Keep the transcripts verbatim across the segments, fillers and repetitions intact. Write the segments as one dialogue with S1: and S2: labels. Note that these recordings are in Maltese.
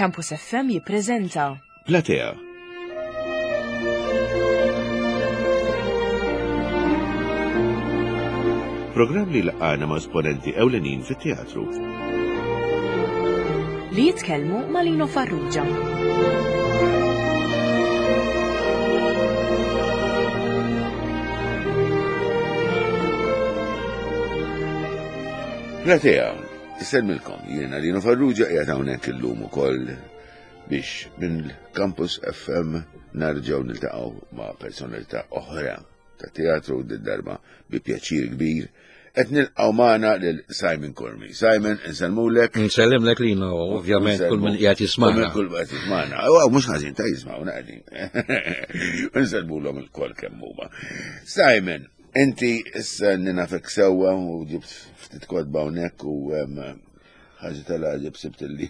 S1: Campus F M jippreżenta
S2: Platea. Programm li laqana ma' esponenti ewlenin fit-teatru.
S1: Li jitkellmu ma' Lino Farrugia.
S2: Platea, isellmilkom, jiena Lino Farrugia, qiegħed hawnhekk illum ukoll biex minn Campus F M narġgħu niltaqgħu ma' personalità oħra ta' teatru, darba bi pjaċir kbir qed nilqgħu magħna lil Simon Curmi. Simon, insellmulek.
S3: Nsellimlek, Lino, ovvjament kull min qiegħed jismagħna.
S2: Kull min qiegħed jismagħna. Aw, mhux ħażin ta' jismgħuna qegħdin. Insellmulhom ilkoll kemm huma. Simon, inti issa nafek sewwa u ġibt ftit kotba hawnhekk u em, ħaġa tal-għaġeb sibt li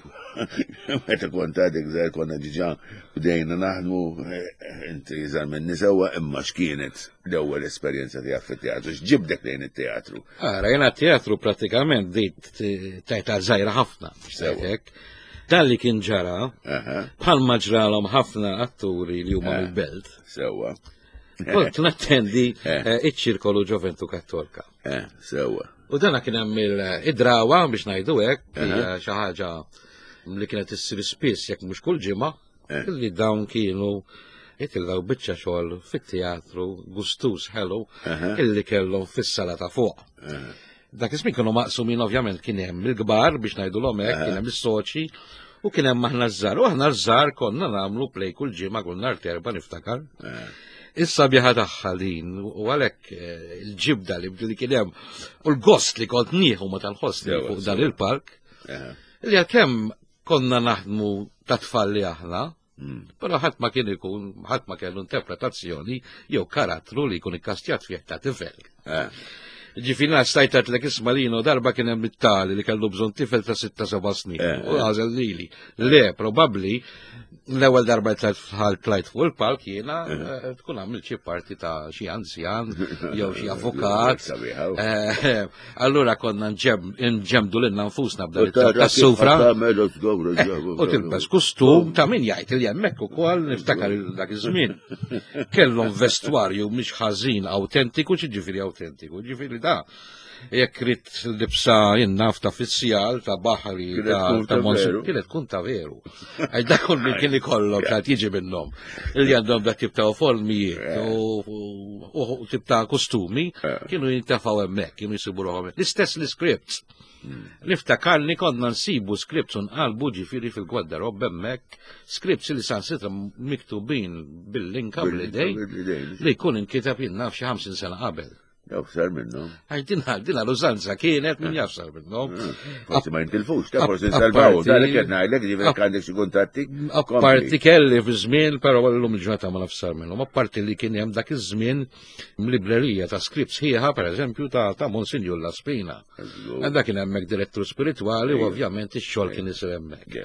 S2: meta kont għadek żgħir konna diġà bdejna naħdmu, eh, inti żgħar minni sewwa, imma x'kienet l-ewwel esperjenza tiegħek fit-teatru? X'ġibdek lejn it-teatru?
S3: Ara, jena teatru pratikament bdejt tajta żgħira ħafna.
S2: Sewwa.
S3: Hekk. Dan li kien ġara,
S2: Aha,
S3: bħalma ġralhom ħafna atturi li huma
S2: Eh.
S3: mill-belt.
S2: Sewwa.
S3: Kont nattendi
S2: Eh.
S3: eh, iċ-ċirkolu Ġoventu Kattolka.
S2: Eh, sewwa.
S3: U dana kien hemm il-drawa biex ngħidu hekk,
S2: Aha.
S3: hija xi ħaġa li kienet issir spiss, jekk mhux kull ġimgħa,
S2: Eh.
S3: li dawn kienu jitilgħu biċċa xogħol fit-teatru gustus ħelu
S2: Aha.
S3: illi kellhom fis-sala ta' fuq.
S2: Aha.
S3: Dak iż-żmien kienu maqsumin, ovvjament kien hemm il-kbar biex ngħidulhom hekk, kien hemm is-soċi u kien hemm aħna ż-żgħar. U aħna ż-żgħar konna nagħmlu play kull ġimgħa, kull nhar t'Erbgħa, niftakar.
S2: Eh.
S3: Issa biħa tagħha din u għalhekk eh, il-ġibda li li kien hemm u l-gost li kont nieħu ma tal-ħoss
S2: Sewa,
S3: fuq dan
S2: sewa.
S3: il-park
S2: Aha.
S3: li għalkemm konna naħdmu ta' tfal li aħna,
S2: Mm.
S3: però ħadd ma kien ikun, ħadd ma kellu interpretazzjoni jew karattru li jkun ikkastjat fih ta' tifel.
S2: Eh.
S3: Ġifieri stajt għedtlek, isma' Lino, darba kien hemm it-tali li kellu bżonn tifel ta' sitta seba' snin.
S2: Eh,
S3: U għażel lili. Le, probabbli l-ewwel darba tlajt tlajt fuq il-palk jiena eh, tkun għamilt xi parti ta' xi anzjan jew xi avukat.
S2: Sabiħa.
S3: Eh, Allura konna nġem- nġemdu lilna nfusna
S2: U
S3: b'dan
S2: tara
S3: ta' sufra.
S2: kif tagħmel u tgobru ġobu.
S3: U tilbes kustum ta' min jgħid li hemmhekk ukoll, niftakar dak iż-żmien. Kellhom vestwarju mhix ħażin awtentiku, ġifieri awtentiku, ġifieri da. Jekk rid libsa jinnaf ta' fizzjal, ta' baħri,
S2: Kienet
S3: ta'
S2: tkun
S3: ta'
S2: ta'
S3: monsu,
S2: veru.
S3: kienet tkun ta' veru. Għax dak kull min kien ikollhom ta' jiġi minnhom. Li għandhom dak tip ta' uniformijiet u u- u tip ta' kostumi
S2: Eh.
S3: kienu jintefgħu hemmhekk, kienu jsibu ruħhom. L-istess l-scripts. Niftakarni konna nsibu scripts unqalbu ġifieri fil-gwardarob hemmhekk, scripts li saħansitra miktubin bil-linka bl-idej li jkun inkiteb jien naf xi ħamsin sena qabel.
S2: Jaf sar minnhom.
S3: Għax dina dina l-użanza kienet, min jaf sar minnhom.
S2: Forsi ma jintilfux, ta' forsi
S3: Ap-
S2: nsalvaw.
S3: apparti-
S2: Da li qed ngħidlek, ġifieri għandek xi kuntatti.
S3: Apparti kelli fi żmien, però llum il-ġurnata ma naf sar minnhom. Apparti li kien hemm dak iż-żmien librerija ta' scripts ħieħa, pereżempju ta' ta' Monsignor La Spina. Dak kien hemmhekk direttur spiritwali u ovvjament ix-xogħol kien isir hemmhekk.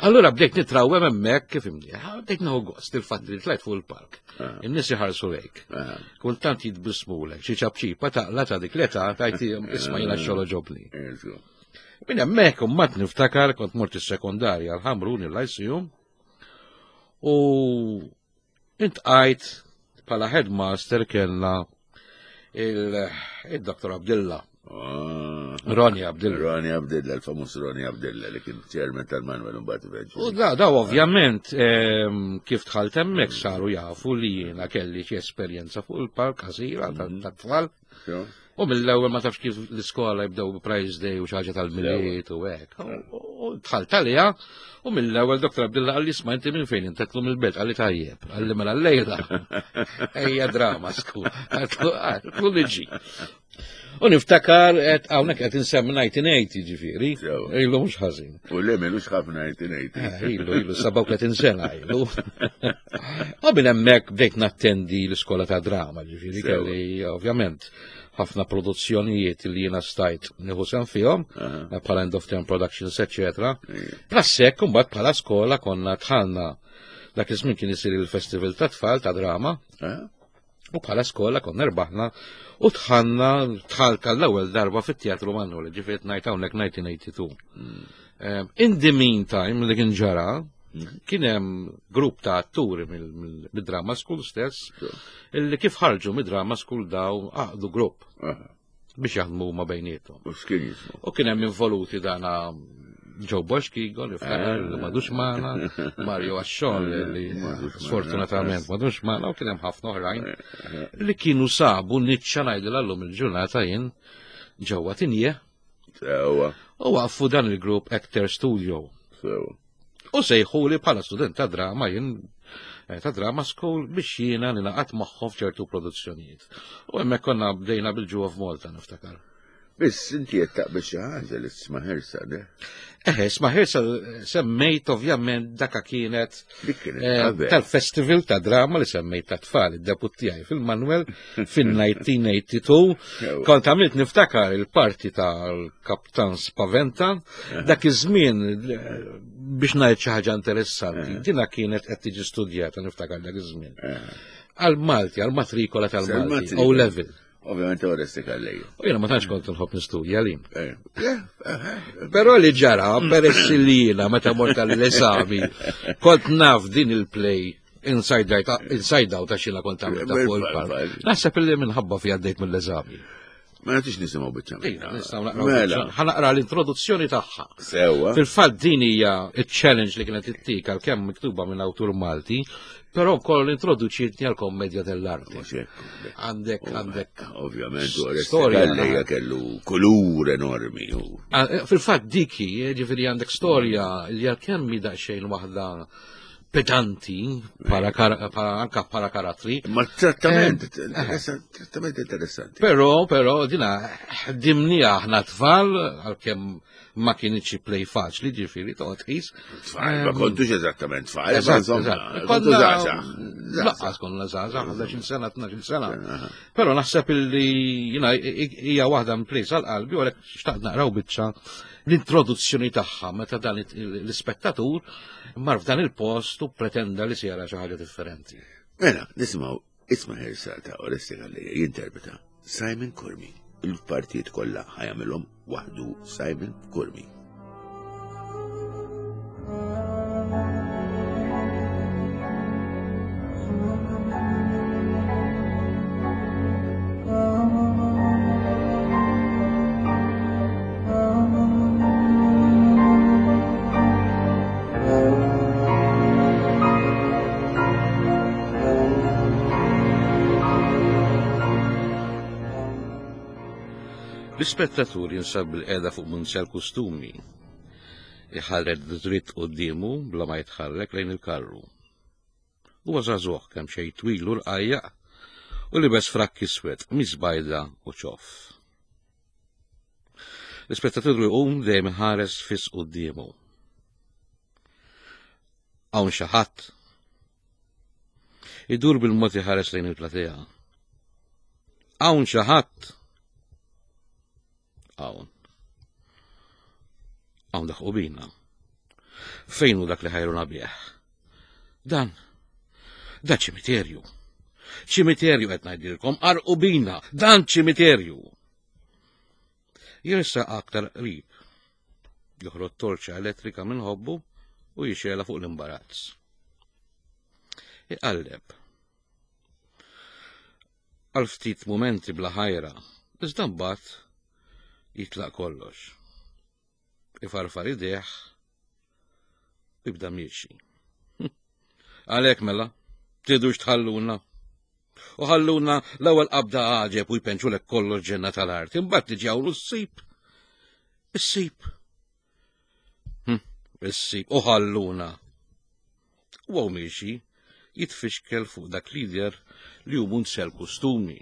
S3: Allura bdejt nitrawem hemmhekk, kif imni, bdejt nieħu gost il-fatt li tlajt fuq il-park. In-nies iħarsu lejk. Kultant jitbismulek, xi ċapċipa taqla ta' dik l-età tajt isma' jiena x-xogħol ġobni. Minn hemmhekk imbagħad niftakar kont mort is-sekondarja l-Ħamrun, il-Lyceum, u iltqajt bħala headmaster kellna il-Dottor Abdilla, Ronnie Abdilla.
S2: Ronnie Abdilla, il-famuż Ronnie Abdilla li kien chairman tal-Manuel mbagħad
S3: U
S2: eventually.
S3: da, da ovvjament ehm, kif dħalt hemmhekk saru jafu li jiena kelli xi esperjenza fuq il-park qasira ta' tfal.
S2: Jo?
S3: U mill-ewwel, ma tafx kif l-iskola jibdew Prize Day u xi ħaġa tal-Milied u hekk. U u dħalt għaliha u mill-ewwel Dottor Abdilla qalli, "Isma', inti minn fejn inti?" Għedtlu, "Mill-belt." Qalli, "Tajjeb." Qalli, "Mela llejla. Ejja drama school." Għedtlu, "Liġi." U niftakar qed hawnhekk qed insemmi elf disa' mija u tmenin, ġifieri.
S2: Sewa.
S3: Ilu mhux ħażin.
S2: U le m'ilux ħafna elf disa' mija u tmenin.
S3: Eh, Ilu, ilu, sebgħa u tletin sena ilu. U minn hemmhekk bdejt nattendi l-iskola ta' drama, ġifieri
S2: Sewa.
S3: kelli ovvjament ħafna produzzjonijiet li jiena stajt nieħu sehem fihom,
S2: Aha.
S3: bħala end of term productions, eccetera.
S2: Ija.
S3: Plus hekk imbagħad bħala skola konna dħalna, dak iż-żmien kien isir il-festival ta' tfal ta' drama,
S2: Ah,
S3: u bħala skola konna rbaħna u dħalna, dħalt għall-ewwel darba fit-Teatru Manuel, ġifieri ngħid hawnhekk elf disa' mija u tnejn u tmenin. In the meantime, li kien ġara, kien hemm grupp ta' atturi mid-drama school stess, illi kif ħarġu mid-drama school daw għaqdu grupp biex jaħdmu ma' bejniethom. U kien hemm involuti dana Joe Bosch Kigo, li ftakar li madux magħna, Mario Asciol li sfortunatament madux magħna, u kien hemm ħafna oħrajn li kienu sabu niċċa ngħidilha llum il-ġurnata jien ġewwa Tinje.
S2: Sewwa.
S3: U waqfu dan il-grupp Actor Studio.
S2: Sewwa.
S3: U sejħuli bħala student ta' drama jien ta' drama school biex jiena nilaqat magħhom f'ċertu produzzjonijiet. U hemmhekk konna bdejna bil-Jew of Malta niftakar.
S2: Biss inti qed taqbel xi ħaġa li Isma' Ħirsa, ne?
S3: Eħe, Isma' Ħirsa semmejt ovvjament daka kienet tal-festival ta' drama li semmejt ta' tfal, id-debut tiegħi fil-Manuel fin-nineteen eighty-two. Kont għamilt niftakar il-parti tal-Kaptan Spaventa, dak iż-żmien biex ngħid xi ħaġa interessanti, dina kienet qed tiġi studjata niftakar dak iż-żmien. Għal-Malti, għal-matrikola tal-Malti, O level.
S2: Ovvjament Oresti Calleja.
S3: U jiena ma tantx kont nħobb nistudja li. Però li ġara, peress li jiena meta mort għall-eżami, kont naf din il-play inside out, inside out għax jiena kont għamilta fuq il-park. Naħseb illi minħabba fi għaddejt mill-eżami.
S2: Ma nagħtix nisimgħu biċċa.
S3: Ejja, nistgħu naqraw biċċa. Ħa naqra l-introduzzjoni tagħha.
S2: Sewwa.
S3: Fil-fatt din hija ċ-challenge li kienet ittika għalkemm miktuba minn awtur Malti, però wkoll introduċietni għal kommedja dell'arte. Għandek, għandek.
S2: Ovvjament, storja li kellu kulur enormi.
S3: Fil-fatt diki, ġifieri għandek storja li għalkemm mi daqsxejn waħda pedanti, anka para karattri.
S2: Ma trattament, trattament interessanti.
S3: Però, però, dina, ħdimni aħna tfal, għalkemm ma kienx play faċli, ġifieri, toqgħod tqis.
S2: Tfal, ma kontux eżattament tfal, kontu żgħażagħ.
S3: Laqqas konna żgħażagħ, ħdax-il sena, tnax-il sena. Però naħseb illi jiena hija waħda minn plays għal qalbi, u għalhekk xtaqt naqraw biċċa l-introduzzjoni tagħha meta dan l-ispettatur mar f'dan il-post u pretenda li se jara xi ħaġa differenti.
S2: Mela, nisimgħu Isma' Ħirsa ta' Oresti Calleja jinterpreta Simon Curmi. Il-partijiet kollha ħajamilhom waħdu Simon Curmi.
S3: L-ispettatur jinsab bil-qeda fuq munzjal kostumi. Iħarret dritt quddiemu bla ma jitħarrek lejn il-karru. Huwa żagħżugħ kemm xejn twil u rqajjaq u libes frakk iswed, miżbajda u ċoff. L-ispettatur iqum dejjem iħares fis quddiemu. Hawn xi ħadd. Idur bil-mod iħares lejn il-platea. Hawn xi ħadd. Hawn. Hawn daħqu bina. Fejn hu dak li ħajruna bih? Dan, da ċimiterju. Ċimiterju qed ngħidilkom, qarqu bina, dan ċimiterju. Jersa aktar qrib. Joħroġ torċa elettrika minn ħobbu u jixela fuq l-imbarazz. Iqalleb. Għal ftit mumenti bla ħajra, iżda mbagħad jitlaq kollox. Ifarfar idejh u jibda miexi. Għalhekk mela, tridux tħalluna. U ħalluna l-ewwel qabda għaġeb u jpenċulek kollox ġenna tal-art, imbagħad tiġi hawn ssib. Issib. Issib u ħalluna. U hawn miexi jitfixkel fuq dak lider li hu munsel kostumi.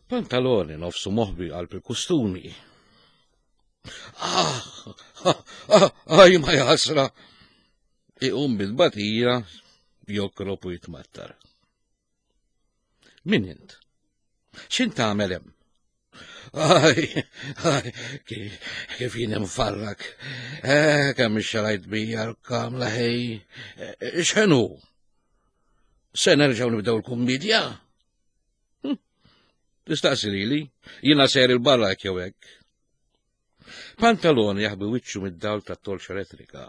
S3: Pantaloni nofsu moħbi qalb il-kostumi. Ah, ah, ah, ma jasra. Iqum bil-batija, jokrob u jitmattar. Min int? X'int tagħmel hemm? Aj, aj, kif jien imfarrak. Eh, kemm ixxarajt bija l-kamla ħej. X'inhu? Se nerġgħu nibdew il-kummedja? Tistaqsi lili, jiena sejr il-barra hekk jew hekk. Pantalone jaħbi wiċċu mid-dawl tat-torċa elettrika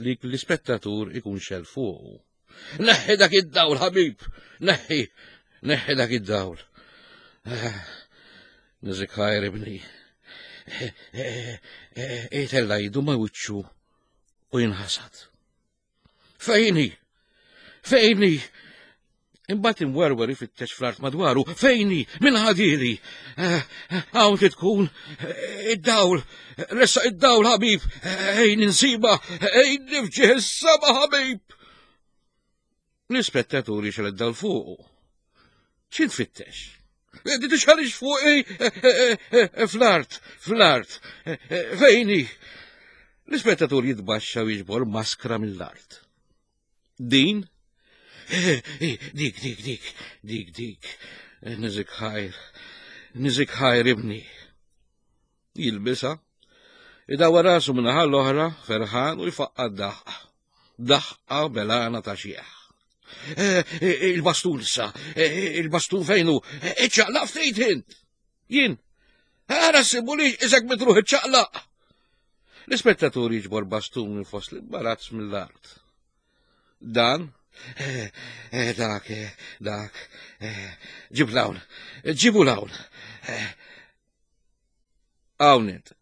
S3: li l-ispettatur ikun xel fuqu. Neħħi dak id-dawl, ħabib! Neħħi, neħħi dak id-dawl. Niżik ħajr ibni. Itella jidu ma wiċċu u jinħasad. Fejni! Fejni! Imbagħad imwerwer ifittex fl-art madwaru. Fejni! Min ħadili? Hawn trid tkun id-dawl! Ressaq id-dawl, ħabib! Ejn insiba! Ejn nifġih is-sema, ħabib! L-ispettatur jixgħel id-dawl fuqu. Xi tfittex? Tixħalix fuqi fl-art, fl-art. Fejni! L-ispettatur jitbaxxa u jiġbor maskra mill-art. Din? Dik, dik, dik, dik, dik. Niżik ħajr, niżik ħajr ibni. Jilbisha, idawwar rasu min-naħa l-oħra, ferħan u jfaqqa' daħqa. Daħqa belana ta' xieħ. Il-bastun issa, il-bastun fejnu, iċċaqlaq ftit int. Jien, ara ssibu li isek mitruħ iċċaqlaq. L-ispettatur jiġbor bastun minn fost l-imbarazz mill-art. Dan, dak, dak, ġib l-hawn, ġibu l-hawn. Hawn int.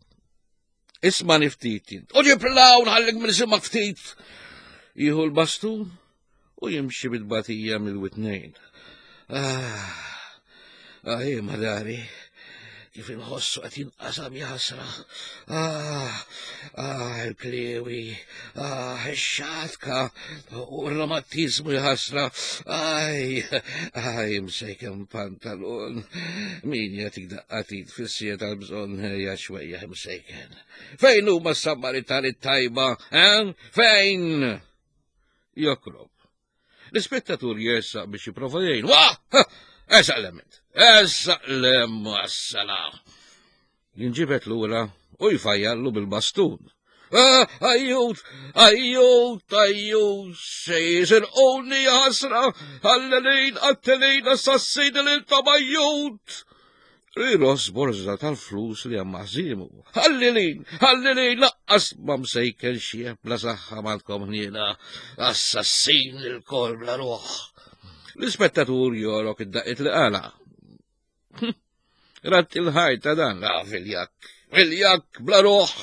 S3: Isma' ftit int. U ġib l-hawn ħallik minn isimak ftit. Jieħu l-bastun u jimxi bit-batija mill-witnejn. Ah, ah, madari, kif inħossu qed jinqasam jaħasra. Ah, ah, il-klewi, ah, ix-xatka u r-romatizmu jħasra. Aj, aj, msejken pantalon. Min jagħtik daqqatit fis-sija tal-bżonn ejja xwejja msejken. Fejn huma s-Samaritani tajba, eh? Fejn? Jokrob. L-ispettatur jersaq biex jipprova jgħin. Wah! Ersaq l-ement! Ersaq l-em, assala! Jinġibet lura u jfajjallu bil-bastun. Ajjut, ajjut, ajjut, se jisirquni ħasra, għallelin, għattelin, assassin l-intom ajjut! Riros borża tal-flus li hemm maħżimu. Ħallilin, ħallilin, laqqas ma msejken xie bla saħħa m'għandkom ħniena, assassin il-kol bla ruħ. L-ispettatur jorok id-daqqiet li qala. Rat il-ħajta dan, la viljak, viljak bla ruħ.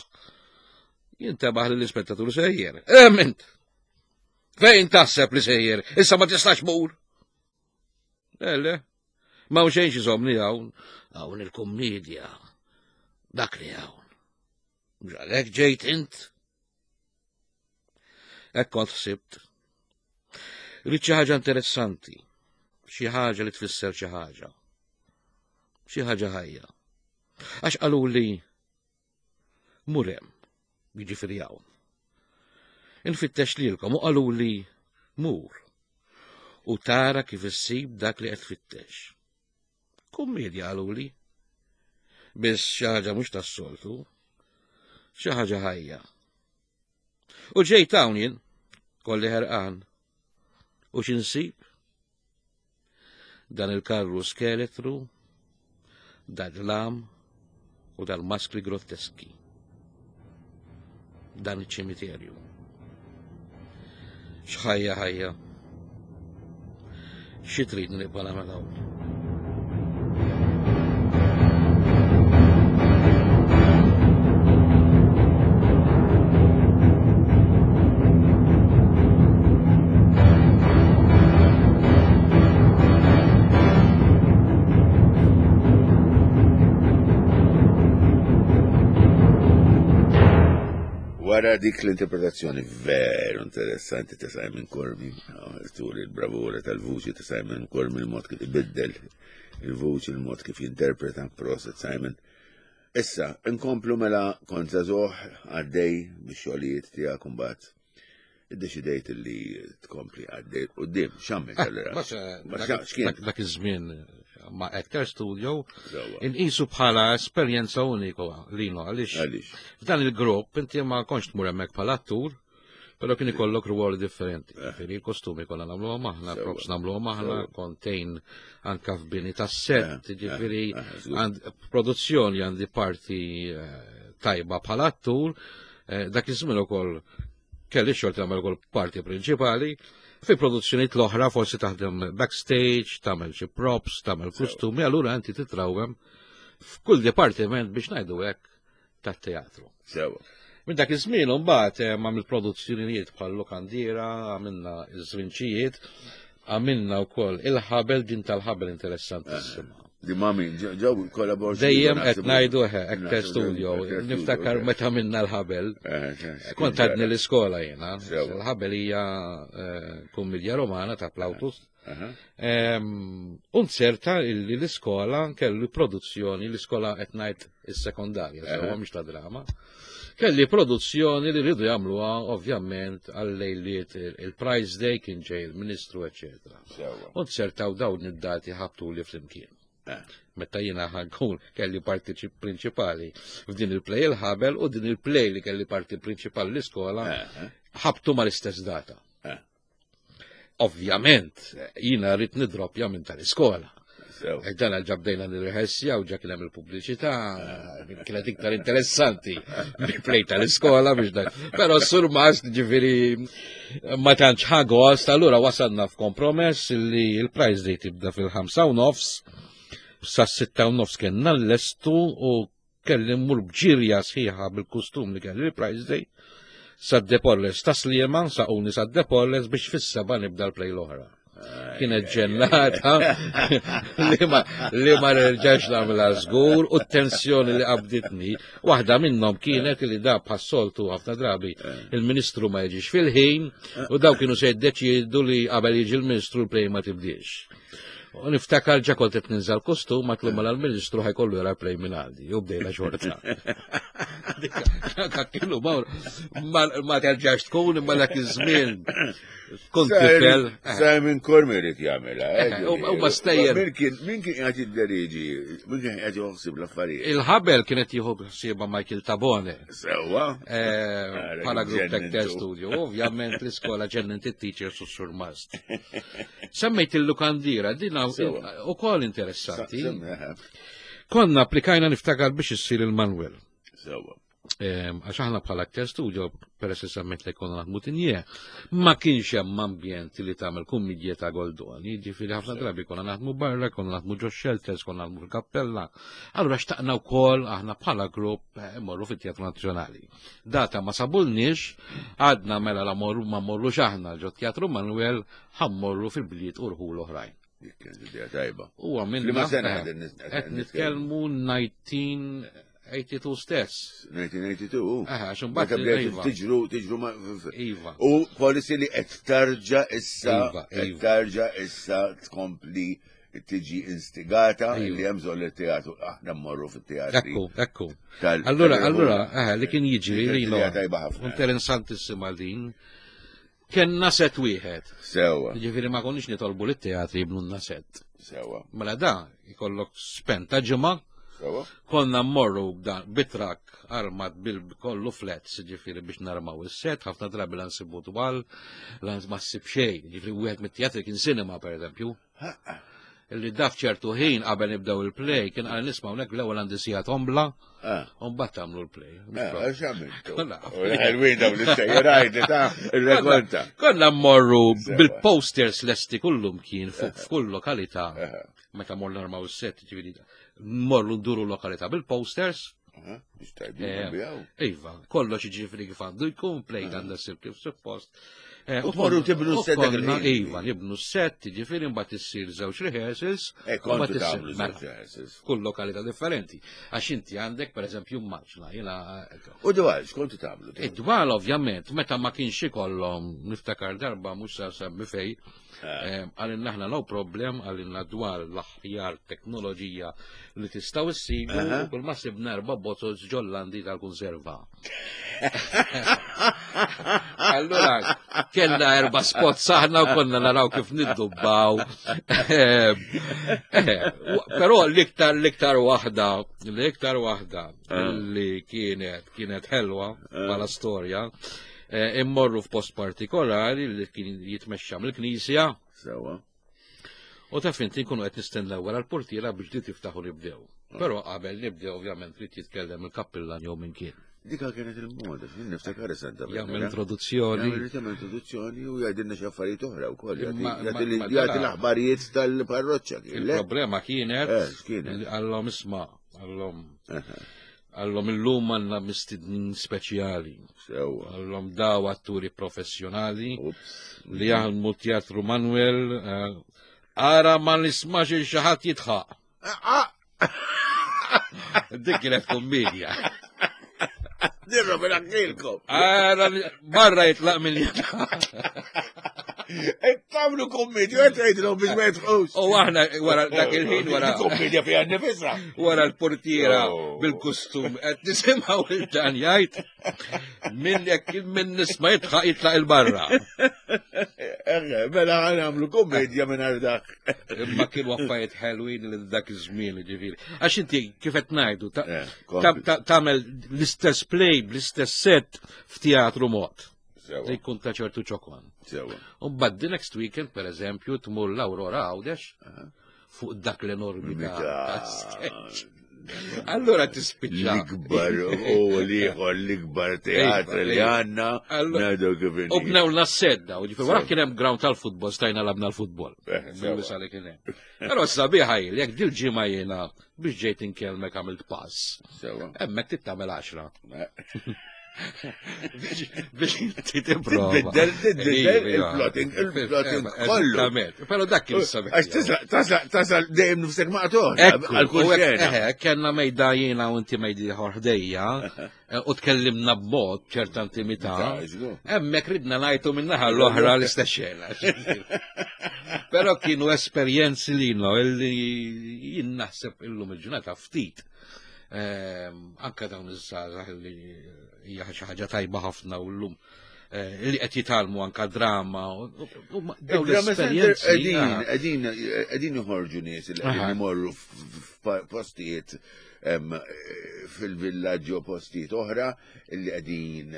S3: Jintabaħ li l-ispettatur sejjer. Ement! Fejn taħseb li sejjer? Issa ma tistax mur. Le, le. Ma xejn xi hawn, hawn il-kummedja. Dak li hawn. Mhux għalhekk ġejt int. Hekk kont ħsibt. Rrid xi ħaġa interessanti, xi ħaġa li tfisser xi ħaġa. Xi ħaġa ħajja. Għax qaluli mur hemm, jiġifieri hawn. Infittex lilkom u qaluli mur u tara kif issib dak li qed tfittex. Kummedja qaluli. Biss xi ħaġa mhux tas-soltu, xi ħaġa ħajja. U ġejt hawn jien, kolli ħerqan. U x'insib? Dan il-karru skeletru, dal-lam u dal-maskli grotteski. Dan iċ-ċimiterju. X'ħajja ħajja. Xi trid nibqa' nagħmel hawn?
S2: Wara dik l-interpretazzjoni veru interessanti ta' Simon Curmi, tur il-bravura tal-vuċi ta' Simon Curmi, il-mod kif ibiddel il-vuċi, il-mod kif jinterpreta, proset Simon. Issa, inkomplu mela kont żagħżugħ għaddej bix-xogħlijiet tiegħek imbagħad iddeċidejt li tkompli għaddej quddiem. X'għamilt allura?
S3: Dak iż-żmien ma' Actor Studio inqisu bħala esperjenza unika lino għaliex f'dan il-grupp inti ma kontx tmur hemmhekk bħala attur, Però kien ikollok ruoli differenti. Ġifieri il-kostumi konna nagħmluhom aħna, props nagħmluhom aħna, kontejn anka f'bini tas-set, ġifieri produzzjoni għandi parti tajba bħala attur, dak iż-żmien ukoll kelli xorta nagħmel ukoll parti prinċipali. Fi produzzjonijiet l-oħra forsi taħdem backstage, tagħmel xi props, tagħmel kostumi, allura inti titrawem f'kull dipartiment biex ngħidu hekk tat-teatru.
S2: Sewa.
S3: Minn dak iż-żmien imbagħad għamil produzzjonijiet bħal Lokandiera, għamilna iż-żrinċijiet, għamilna wkoll il-ħabel, din tal-ħabel interessantissima.
S2: Di mami, ġew kollaborazzjoni.
S3: Dejjem qed ngħidu Actor Studio, niftakar meta minna l-ħabel. Kont għadni l-iskola jiena. Il-ħabel hija kummedja romana ta' Plautus. Unzerta illi l-iskola kellu produzzjoni, l-iskola qed ngħid is-sekondarja, sewwa mhux ta' drama. Kelli produzzjoni li rridu jagħmluha ovvjament għal-lejliet il-Prize Day kien ġej il-Ministru, eċetera. Unzertaw dawn id-dati ħabtu li flimkien. Meta jiena ħankun kelli parti prinċipali f'din il-play il-ħabel u din il-play li kelli parti prinċipali l-iskola ħabtu mal-istess data. Ovvjament, jiena rrid nidroppja minn tal-iskola. Dan ġabdejna nirreħessja u ġa kien hemm il-pubbliċità, kienet iktar interessanti mill-play tal-iskola biex dak. Però s-surmast ġifieri ma tantx ħa gost, allura wasalna f'kompromess li l-prize day tibda fil-ħamsa u nofs, sa sitta u nofs kellna l-lestu u kelli mmur bġirja sħiħa bil-kustum li kelli l-prize day sa Depolles ta' Sliema, saquni sa Depolles biex fis-seba' nibda l-play l-oħra. Kienet ġennata li ma li ma nerġax nagħmilha żgur u t-tensjoni li qabditni, waħda minnhom kienet li da bħas-soltu ħafna drabi il-Ministru ma jiġix fil-ħin u daw kienu se jiddeċiedu li qabel jiġi l-Ministru l-play ma tibdiex. U niftakar ġa kont qed ninżal kostum ma tlum mal-Ministru ħajkollu jara play minn għandi, u bdejna xorta. Dak kienu ma terġax tkun imma dak iż-żmien kont tifel.
S2: Simon Curmi irid jagħmilha.
S3: U ma stejjer.
S2: Min kien min kien qed jidderieġi, min kien qed joħsib l-affarijiet?
S3: Il-ħabel kienet jieħu ħsiebha Michael Tabone.
S2: Sewwa.
S3: Bħala Group Actor Studio. Ovvjament l-iskola ġennent it-teachers u s-surmast. Semmejt il-lukandira, din u kol interessanti. Konna applikajna niftakar biex issir il-Manuel.
S2: Sewwa.
S3: Għax aħna bħala Actor Studio, peress li semmejt li konna naħdmu tinje, ma kienx hemm ambjent li tagħmel kummedja ta' Goldoni, ġifieri ħafna drabi konna naħdmu barra, konna naħdmu ġo shelters, konna naħdmu fil-kappella. Allura xtaqna wkoll aħna bħala grupp morru fit-Teatru Nazzjonali. Data ma sabulniex, għadna mela la morru ma morrux aħna ġo Teatru Manuel, ħammorru fil-bliet u rħul oħrajn.
S2: Kienet idea tajba.
S3: Huwa minn
S2: Liema sena
S3: qed nitkellmu nineteen eighty-two stess.
S2: nineteen eighty-two.
S3: Aha, għax
S2: Meta
S3: imbagħad
S2: bdejt
S3: Iva.
S2: tiġru, tiġru ma'
S3: Iva.
S2: U policy li qed tarġa' issa,
S3: Iva,
S2: qed
S3: Iva.
S2: tarġa' issa tkompli tiġi instigata
S3: Iva.
S2: li hemm bżonn li teatru aħna mmorru fit-teatri.
S3: Ekku, ekku.
S2: Tal-
S3: Allura,
S2: tal-
S3: allura, aha, li kien jiġri
S2: Kienet
S3: li
S2: idea tajba ħafna.
S3: Interessantissima din. Kenna set wieħed.
S2: Sewwa.
S3: Ġifieri ma konniex nitolbu lit-teatri jibnunna set.
S2: Sewwa.
S3: Mela da jkollok spenta ġimgħa.
S2: Sewwa.
S3: Konna mmorru b'dan bitrak armat bil kollu flats, ġifieri biex narmaw is-set, ħafna drabi la nsibu twal, la ma ssib xejn. Ġifieri wieħed mit-teatri kien cinema pereżempju. Illi daf ċertu ħin qabel nibdew il-play kien qal nisma' hawnhekk l-ewwel għandi sija tombla, u mbagħad tagħmlu l-play.
S2: Għax għamiltu?
S3: Kolla.
S2: U ħelwin dawn l-istejjer għajdi ta' il-rekonta.
S3: Konna mmorru bil-posters lesti kullum kien fuq f'kull lokalità. Meta morru narmaw is-set, ġifieri mmorru nduru lokalità bil-posters.
S2: Biex tajbin bijaw.
S3: Iva, kollox jiġifieri kif għandu jkun, play għandha ssir kif suppost.
S2: U tmorru tibnu s-set dak il-ħin.
S3: Iva, nibnu s-set, jiġifieri mbagħad issir żewġ rehearsals.
S2: E kontu tagħmlu żewġ rehearsals.
S3: Kull lokalità differenti. Għax inti għandek pereżempju maġna, jiena.
S2: U dwal, x'kontu tagħmlu?
S3: Id-dwal ovvjament, meta ma kienx ikollhom, niftakar darba mhux sa semmi fej, għalinna aħna no problem, għalinna dwar l-aħjar teknoloġija li tistgħu issibu, kull ma sibna erba' bozoz ġollandi tal-konserva. Allura, kellna erba' spots aħna u konna naraw kif niddubbaw. Però l-iktar, l-iktar waħda, l-iktar waħda li kienet, kienet ħelwa bħala storja, Immorru f'post partikolari li kien jitmexxa mill-knisja.
S2: Sewa.
S3: U taf inti nkunu qed nistennew wara l-portiera biex di tiftaħu nibdew. Però qabel nibdew ovvjament trid jitkellem il-kappillan jew minn kien.
S2: Dika kienet il-moda, jien niftakar is-Santa
S3: Jagħmel introduzzjoni.
S2: Jagħmel introduzzjoni u jgħidilna xi affarijiet oħra wkoll. Jagħti l-aħbarijiet tal-parroċċa.
S3: Il-problema kienet għallhom isma' għallhom għallhom illum għandna mistednin speċjali.
S2: Sewa.
S3: Għallhom daw atturi professjonali li jaħdmu Teatru Manuel. Ara ma nismax il xi ħadd jitħaq. Dik kienet kommedja.
S2: Dirra bil-għakilkom.
S3: Ara barra jitlaq minn jitħaq.
S2: Tagħmlu kommedja, qed tgħidilhom biex ma jitħqux.
S3: U aħna wara dak il-ħin wara.
S2: Kommedja fiha nnifisha.
S3: Wara l-portiera bil-kustum qed nisimgħu il dan jgħid minn jekk minn nisma' jitħaq jitlaq il-barra.
S2: Mela nagħmlu kommedja minn dak.
S3: Imma kienu affarijiet ħelwin li dak iż-żmien ġifieri. Għax inti kif qed ngħidu tagħmel l-istess play bl-istess set f'teatru mod. Li jkun ta' ċertu ċokon. U mbagħad the next weekend, per eżempju, tmur l-Aurora Għawdex fuq dak l-enormi ta' sketch. Allora tispiċċa.
S2: L-ikbar u l-ieħor l-ikbar teatr li għandna.
S3: U bnew l-assedda, u ġifieri wara kien hemm ground tal-futbol, stajna labna l-futbol. Bil-wisa li kien hemm. Però sabiħa hi, jekk dil-ġimgħa jiena biex ġejt inkellmek għamilt pass. Hemmhekk tittamel għaxra. Biex inti tipprova.
S2: Tbiddel, tbiddel il-plotting, il-plotting kollu.
S3: Però dak kien sabiħ.
S2: Għax tasal, tasal dejjem nifsek maqtuħ. Għal kull xena.
S3: Kellna mejda jiena u inti mejdi ħorħdejja u tkellimna b'mod ċerta intimità. Hemmhekk ridna ngħidu min-naħa l-oħra l-istess xena. Però kienu esperjenzi li illi jien naħseb illum il-ġurnata ftit. Anka dawn iż-żgħażagħ li hija xi ħaġa tajba ħafna u llum li qed jitgħallmu anka drama u dawn l-esperjenzi.
S2: Qegħdin qegħdin joħorġu nies li qegħdin imorru f'postijiet fil-villaġġi u postijiet oħra li qegħdin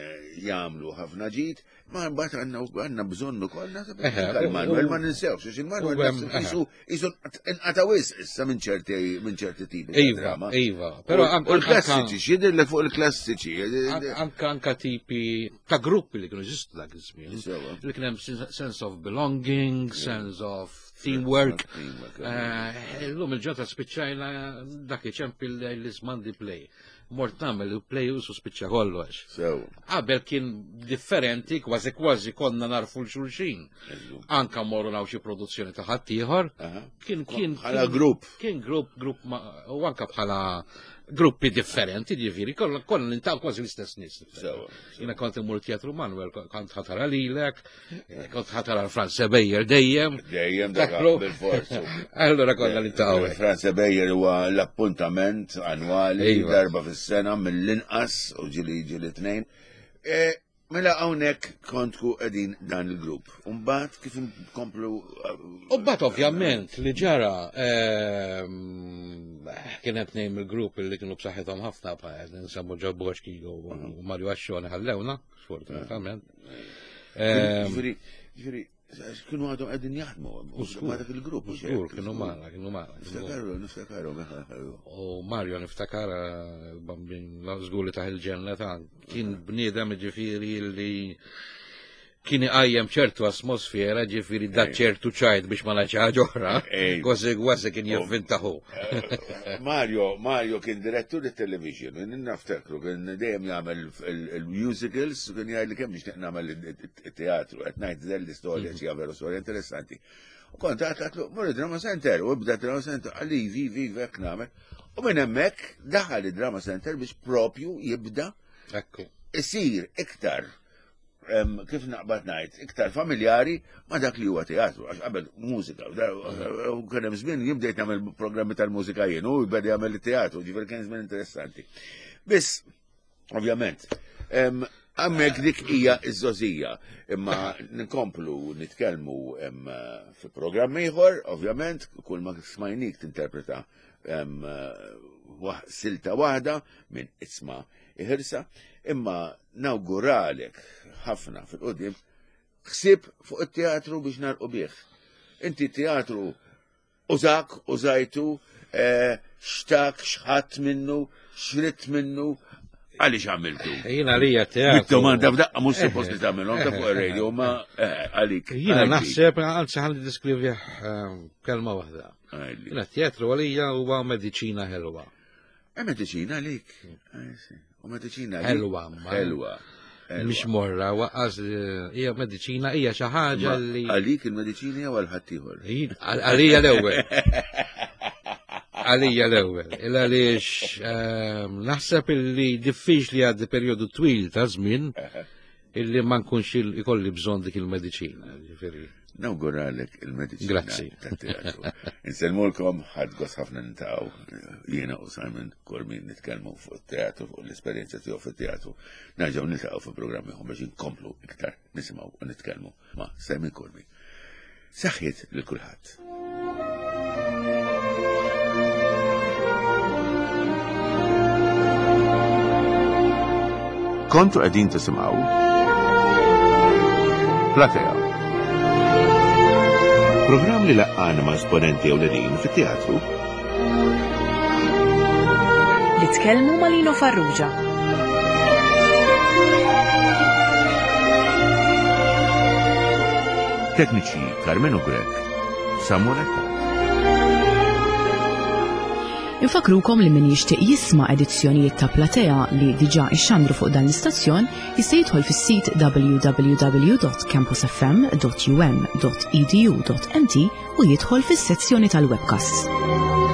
S2: jagħmlu ħafna ġid, ma mbagħad għandna bżonn ukoll naħseb il-Manuel ma ninsewx, għax il-Manuel qisu qisu inqata' wisq issa minn ċerti minn ċerti tipi ta' drama.
S3: Iva, però
S2: anke l-klassiċi, x'jidhirlek fuq il-klassiċi.
S3: Anke anke tipi ta' gruppi li kienu jeżistu dak iż-żmien. Li kien hemm sense of belonging, sense of teamwork. Illum il-ġota spiċċajna dak iċempil l-Ismandi play. Mort nagħmel il-play u spiċċa kollox. Qabel kien differenti, kważi kważi konna narfu l-xulxin. Anka morru naw xi produzzjoni ta' ħaddieħor. Kien kien
S2: bħala grupp.
S3: Kien grupp grupp u anka bħala gruppi differenti, ġifieri, konna nintaqgħu kważi l-istess nies. Jiena kont immur Teatru Manuel, kont ħatara lilek, kont ħatara Franz Bejer dejjem.
S2: Dejjem dak bil-forzu.
S3: Allora konna nintaqgħu.
S2: Franz Bejer huwa l-appuntament annwali darba fis-sena mill-inqas u ġieli ġieli tnejn. Mela hawnhekk kontku qegħdin dan il-grupp. U mbagħad kif nkomplu.
S3: U mbagħad ovvjament li ġara kien qed ngħid il-grupp li kienu b'saħħithom ħafna bħal nsemmu Ġo Boxki u Mario Ascione ħallewna, sfortunatament.
S2: Ġifieri, ġifieri, kienu għadhom qegħdin jaħdmu ma' dak il-grupp.
S3: Żgur, kienu magħna, kienu magħna.
S2: Niftakaru, niftakaru.
S3: U Mario niftakar bambin żgur li taħ il-ġenna ta' kien bniedem ġifieri li kien iqajjem ċertu atmosfera, ġifieri da ċertu ċajt biex ma ngħidx ħaġa oħra, kważi kważi kien jivvintaħu.
S2: Mario, Mario kien direttur television, niftakru, kien dejjem jagħmel il-musicals, kien jgħid li kemm nixtieq nagħmel it-teatru, qed ngħid żell l-istorja xi veru storja interessanti. U kont għatlu, mur Drama Center, u bda Drama Center, għalli vi, vi, vek nagħmel. U minn hemmhekk daħal id-Drama Center biex propju jibda isir iktar kif naqbad ngħid, iktar familjari ma dak li huwa teatru, għax qabel mużika, u kien hemm żmien jien bdejt nagħmel programmi tal-mużika jien u jbeda jagħmel it-teatru, ġifieri kien żmien interessanti. Biss, ovvjament, Għammek dik hija iż-żożija, imma nkomplu nitkellmu fi programm ieħor, ovvjament, kull ma smajnik tinterpreta silta waħda minn Isma' Iħirsa, imma nawguralek ħafna fil-qudiem ħsieb fuq it-teatru biex narqu bih. Inti teatru użak, użajtu, xtak, xħat minnu, xritt minnu, għaliex għamiltu?
S3: Jiena għalija teatru.
S2: Domanda f'daqqa mhux suppost li tagħmilhom ta' fuq ir-radio, ma għalik.
S3: Jiena naħseb, anzi ħalli diskrivih kelma waħda. Jiena teatru għalija huwa mediċina ħelwa.
S2: E mediċina għalik. U mediċina
S3: ħelwa.
S2: Ħelwa.
S3: Mhix morra, waqqas hija mediċina hija xi ħaġa li.
S2: Għalik il-mediċina jew għal ħaddieħor?
S3: Għalija l-ewwel. Għalija l-ewwel. Il għaliex naħseb illi diffiċli għaddi perjodu twil ta' żmien illi ma nkunx ikolli bżonn dik il-mediċina. Ġifieri.
S2: Nawguralek il-mediċina.
S3: Grazzi.
S2: Tat-teatru. Insellmulkom, ħadd gost ħafna nintaqgħu jiena u Simon Curmi nitkellmu fuq it-teatru, fuq l-esperjenza tiegħu fit-teatru. Nerġgħu niltaqgħu fi programm ieħor biex inkomplu iktar nisimgħu u nitkellmu ma' Simon Curmi. Saħħiet lil kulħadd. Kontu qegħdin tisimgħu Platea. Programm li laqqana ma' esponenti ewlenin fit-teatru.
S1: Li tkellmu ma' Lino Farrugia.
S2: Tekniċi Carmenu Grech, Samuel Attard.
S1: Infakrukom li min jixtieq jisma' edizzjonijiet ta' Platea li diġà ixxandru fuq dan l-istazzjon jista' jidħol fis-sit w w w dot campus f m dot u m dot e d u dot m t u jidħol fis-sezzjoni tal-webcasts.